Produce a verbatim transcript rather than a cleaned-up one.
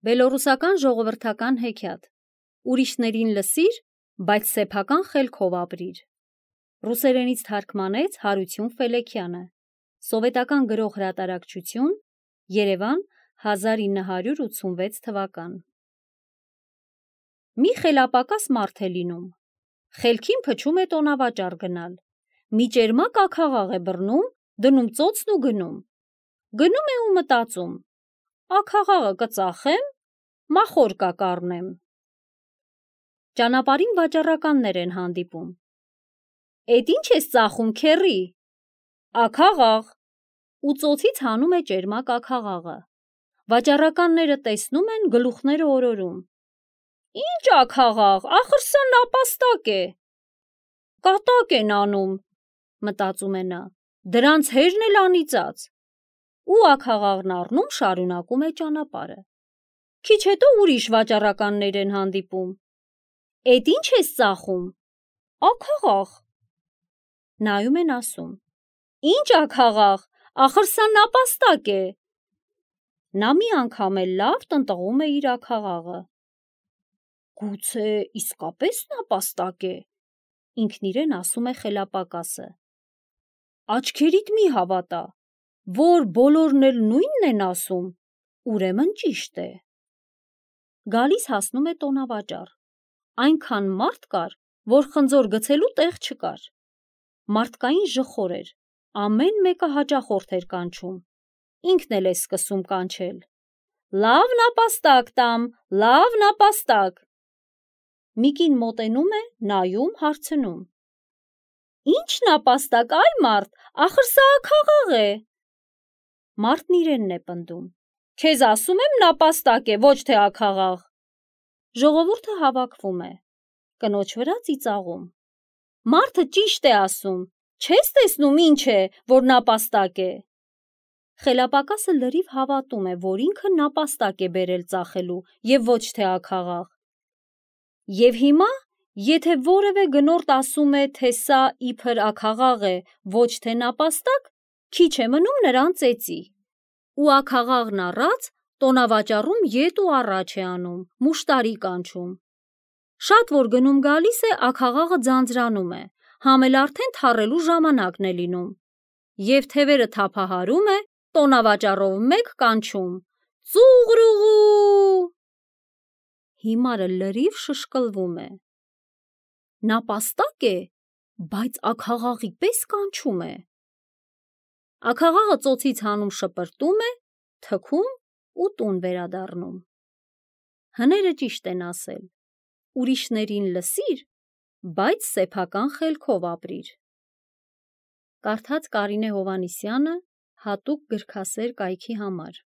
Բելոռուսական ժողովրդական հեքիաթ։ Ուրիշներին լսիր, բայց սեփական խելքով ապրիր։ Ռուսերենից թարգմանեց Հարություն Ֆելեքյանը։ Սովետական գրող հրատարակչություն, Երևան, հազար ինը հարյուր ութսունվեց թվական։ Մի խելապակաս մարդ է լինում։ Խելքին փչում է տոնավաճառ գնալ։ Մի ճերմակ աքաղաղ է բռնում, դնում ծոցն ու գնում։ Գնում է ու մտածում. աքաղաղը կծախեմ, մախորկա կառնեմ։ Ճանապարհին վաճառականներ են հանդիպում։ Էդ ինչ ես ծախում, քեռի։ Աքաղաղ։ Ու ծոցից հանում է ճերմակ աքաղաղը։ Վաճառականները տեսնում են, գլուխները օրորում։ Ինչ աքաղաղ, ախր սա նապաստակ է։ Կատակ են անում, մտածում է նա, դրանց հերն էլ անիծած։ Ու աքաղաղն առնում շարունակում է ճանապարհը։ Քիչ հետո ուրիշ վաճառականներ են հանդիպում։ Էդ ինչ ես ծախում։ Աքաղաղ։ Նայում են ասում. Ինչ աքաղաղ, ախր սա նապաստակ է։ Նա մի անգամ էլ լավ տնտղում է իր աքաղաղը։ Գուցե իսկապես նապաստակ է, ինքն իրեն ասում է խելապակասը։ Աչքերիդ մի հավատա, որ բոլորն էլ նույնն են ասում, ուրեմն ճիշտ է։ Գալիս հասնում է տոնավաճառ։ Այնքան մարդ կար, որ խնձոր գցելու տեղ չկար։ Մարդկային ժխոր էր, ամեն մեկը հաճախորդ էր կանչում։ Ինքն էլ է սկսում կանչել. Լավ նապաստակ տամ, լավ նապաստակ։ Մի կին մոտենում է, նայում, հարցնում. Ինչ նապաստակ, այ մարդ, ախր սա աքաղաղ է։ Մարդն իրենն է պնդում. Քեզ ասում եմ նապաստակ է, ոչ թե աքաղաղ։ Ժողովուրդը հավաքվում է, կնոջ վրա ծիծաղում։ Մարդը ճիշտ է ասում, չես տեսնում ինչ է, որ նապաստակ է։ Խելապակասը լրիվ հավատում է, որ ինքը նապաստակ է բերել ծախելու և ոչ թե աքաղաղ։ Եվ հիմա, եթե որևէ գնորդ ասում է, թե սա իբր աքաղաղ է, ոչ թե նապաստակ, քիչ է մնում նրան ծեծի։ Ու աքաղաղն առած, տոնավաճառում ետ ու առաջ է անում, մուշտարի կանչում։ Շատ որ գնում գալիս է, աքաղաղը ձանձրանում է, համ էլ արդեն թառելու ժամանակն է լինում։ Եվ թևերը թափահարում է, տոնավաճառով մեկ կանչում. Ծուղրուղու։ Հիմարը լրիվ շշկլվում է։ Նապաստակ է, բայց աքաղաղի պես կանչում է։ Աքաղաղը ծոցից հանում շպրտում է, թքում ու տուն վերադառնում։ Հները ճիշտ են ասել. ուրիշներին լսիր, բայց սեփական խելքով ապրիր։ Կարդաց Կարինե Հովհաննիսյանը հատուկ գրքասեր կայքի համար։